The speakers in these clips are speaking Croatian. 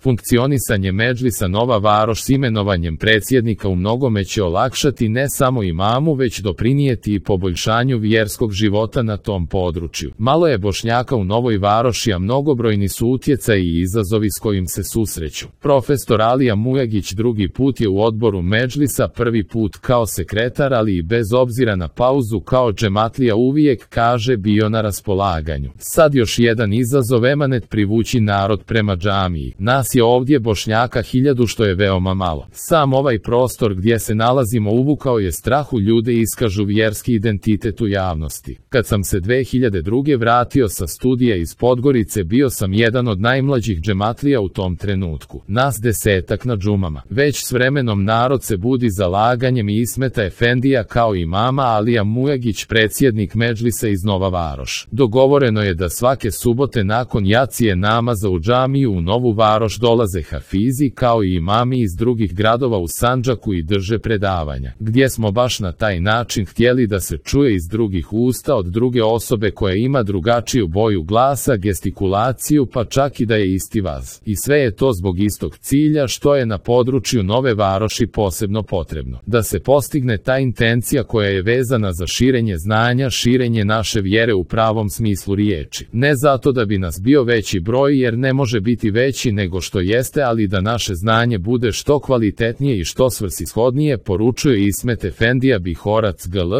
Funkcionisanje Medžlisa Nova Varoš s imenovanjem predsjednika u mnogome će olakšati ne samo imamu, već doprinijeti i poboljšanju vjerskog života na tom području. Malo je Bošnjaka u Novoj Varoši, a mnogobrojni su utjecaji i izazovi s kojim se susreću. Profesor Alija Mujagić drugi put je u odboru Medžlisa, prvi put kao sekretar, ali i bez obzira na pauzu kao džematlija uvijek, kaže, bio na raspolaganju. Sad još jedan izazov, emanet privući narod prema džamiji. Nas je ovdje Bošnjaka 1000, što je veoma malo. Sam ovaj prostor gdje se nalazimo uvukao je strah u ljude, iskažu vjerski identitet u javnosti. Kad sam se 2002. vratio sa studija iz Podgorice, bio sam jedan od najmlađih džematlija u tom trenutku. Nas 10-ak na džumama. Već s vremenom narod se budi zalaganjem i Ismeta Efendija kao imama, Alija Mujagić predsjednik Medžlisa iz Nova Varoš. Dogovoreno je da svake subote nakon jacije namaza u džamiju u Novu Varoš dolaze hafizi kao i imami iz drugih gradova u Sandžaku i drže predavanja, gdje smo baš na taj način htjeli da se čuje iz drugih usta od druge osobe koja ima drugačiju boju glasa, gestikulaciju, pa čak i da je isti vaz. I sve je to zbog istog cilja, što je na području Nove Varoši posebno potrebno. Da se postigne ta intencija koja je vezana za širenje znanja, širenje naše vjere u pravom smislu riječi. Ne zato da bi nas bio veći broj, jer ne može biti veći nego što jeste, ali da naše znanje bude što kvalitetnije i što svrsishodnije, poručuje Ismet Efendija Bihorac GL.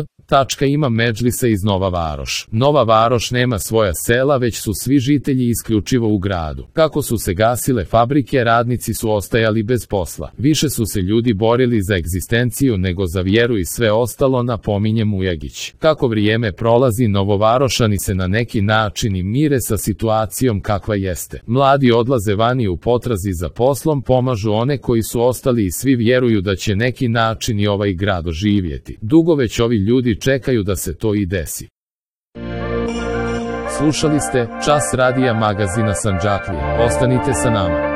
Ima Medžlisa iz Nova Varoš. Nova Varoš nema svoja sela, već su svi žitelji isključivo u gradu. Kako su se gasile fabrike, radnici su ostajali bez posla. Više su se ljudi borili za egzistenciju nego za vjeru i sve ostalo, napominje Mujagić. Kako vrijeme prolazi, Novovarošani se na neki način i mire sa situacijom kakva jeste. Mladi odlaze vani u potrazi za poslom, pomažu one koji su ostali i svi vjeruju da će neki način i ovaj grad oživjeti. Dugo već ovi ljudi čekaju da se to i desi. Slušali ste Čas radija magazina Sandžaklija. Ostanite sa nama.